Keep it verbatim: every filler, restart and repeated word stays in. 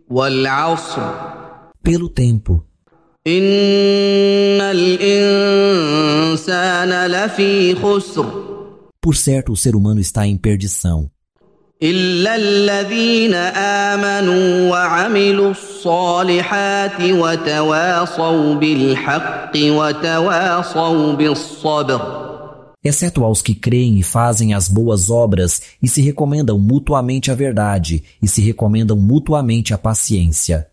والعصر Pelo tempo, إن الإنسان لفي خسر por certo o ser humano está em perdição, إلا الذين آمنوا وعملوا الصالحات وتواصوا بالحق وتواصوا بالصبر. exceto aos que creem e fazem as boas obras e se recomendam mutuamente a verdade e se recomendam mutuamente a paciência.